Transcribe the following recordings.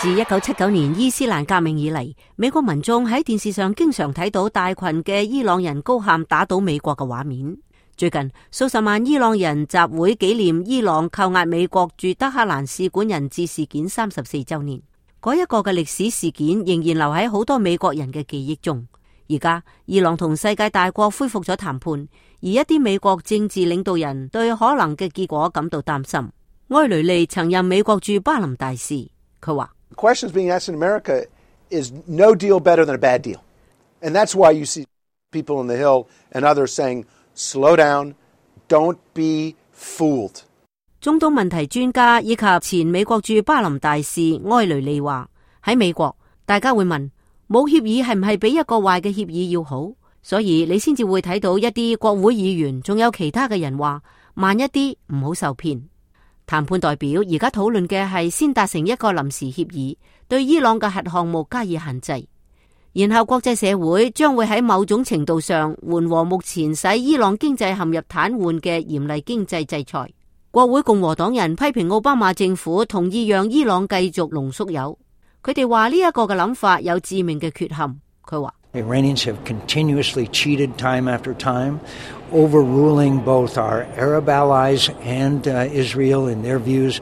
自1979年伊斯蘭革命以嚟，美國民眾喺電視上經常睇到大群嘅伊朗人高喊打倒美國嘅畫面。最近數十萬伊朗人集會紀念伊朗扣押美國駐德黑蘭使館人質事件34週年。嗰一個嘅歷史事件仍然留喺好多美國人嘅記憶中。而家伊朗同世界大國恢復咗談判，而一啲美國政治領導人對可能嘅結果感到擔心。埃雷利曾任美國駐巴林大使，佢話The questions being asked in America is no deal better than a bad deal. And that's why you see people on the Hill and others saying, slow down, don't be fooled. 中東問題專家以及前美國駐巴林大使埃雷利話，喺美國大家會問，冇協議係唔係比一個壞嘅協議要好？所以你先至會睇到一啲國會議員仲有其他嘅人話，慢一啲，唔好受騙。談判代表而家討論嘅係先達成一個臨時協議，對伊朗嘅核項目加以限制，然後國際社會將會喺某種程度上緩和目前使伊朗經濟陷入癱瘓嘅嚴厲經濟制裁。國會共和黨人批評奧巴馬政府同意讓伊朗繼續濃縮鈾，佢哋話呢一個嘅諗法有致命嘅缺陷。佢話Iranians have continuously cheated time after time, overruling both our Arab allies and Israel in their views.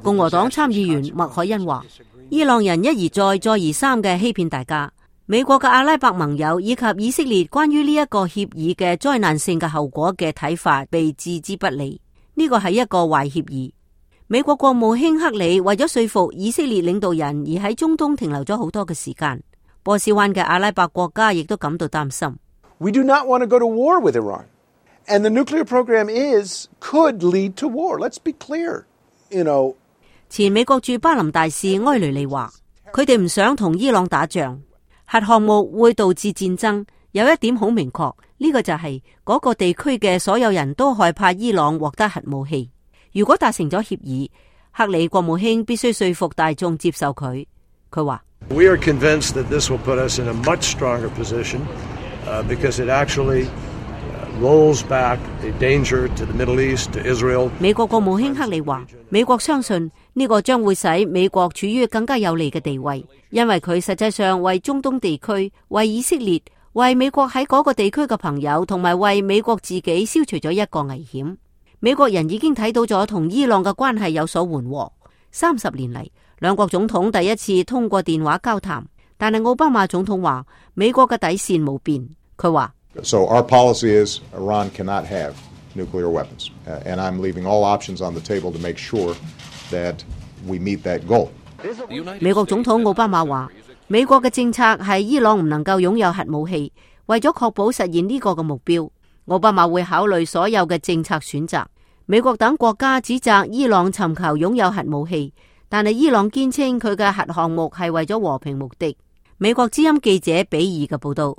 共和黨參議員麥凱恩話，伊朗人一而再再而三嘅欺騙大家，美國嘅阿拉伯盟友以及以色列關於呢一個協議嘅災難性嘅後果嘅睇法被置之不理。呢個係一個壞協議。美國國務卿克里為咗說服以色列領導人而喺中東停留咗好多嘅時間。波斯灣嘅阿拉伯國家亦都感到擔心。We do not want to go to war with Iran. And the nuclear program could lead to war. Let's be clear.前美國駐巴林大使埃雷利話，佢哋唔想同伊朗打仗，核項目會導致戰爭。有一點好明確，呢個就係嗰個地區嘅所有人都害怕伊朗獲得核武器。如果達成咗協議，克里國務卿必須說服大眾接受佢。佢話We are convinced that this will put us in a much stronger position because it actually rolls back a danger to the Middle East, to Israel. 美國國務卿克里話，美國相信呢個將會使美國處於更加有利嘅地位，因為佢實際上為中東地區、為以色列、為美國喺嗰個地區嘅朋友，同埋為美國自己消除咗一個危險。美國人已經睇到咗同伊朗嘅關係有所緩和。30年嚟，兩國總統第一次通過電話交談，但係奧巴馬總統話美國嘅底線冇變。佢話So our policy is Iran cannot have nuclear weapons, and I'm leaving all options on the table to make sure that we meet that goal. 美國總統奧巴馬話，美國嘅政策係伊朗唔能夠擁有核武器，為咗確保實現呢個嘅目標，奧巴馬會考慮所有嘅政策選擇。美國等國家指責伊朗尋求擁有核武器，但係伊朗堅稱佢嘅核項目係為咗和平目的。美國之音記者比爾嘅報道。